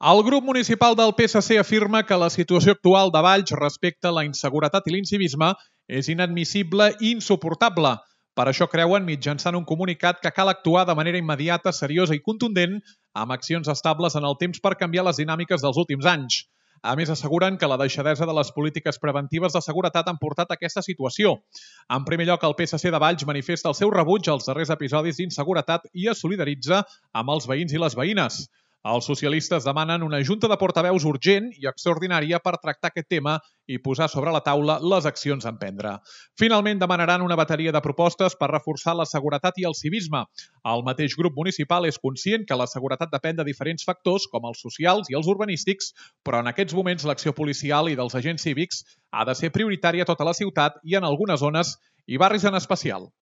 El grup municipal del PSC afirma que la situació actual de Valls respecte a la inseguretat i l'incivisme és inadmissible i insuportable. Per això creuen, mitjançant un comunicat, que cal actuar de manera immediata, seriosa i contundent amb accions estables en el temps per canviar les dinàmiques dels últims anys. A més, asseguren que la deixadesa de les polítiques preventives de seguretat han portat a aquesta situació. En primer lloc, el PSC de Valls manifesta el seu rebuig als darrers episodis d'inseguretat i es solidaritza amb els veïns i les veïnes. Els socialistes demanen una junta de portaveus urgent i extraordinària per tractar aquest tema i posar sobre la taula les accions a emprendre. Finalment, demanaran una bateria de propostes per reforçar la seguretat i el civisme. El mateix grup municipal és conscient que la seguretat depèn de diferents factors, com els socials i els urbanístics, però en aquests moments l'acció policial i dels agents cívics ha de ser prioritària a tota la ciutat i en algunes zones i barris en especial.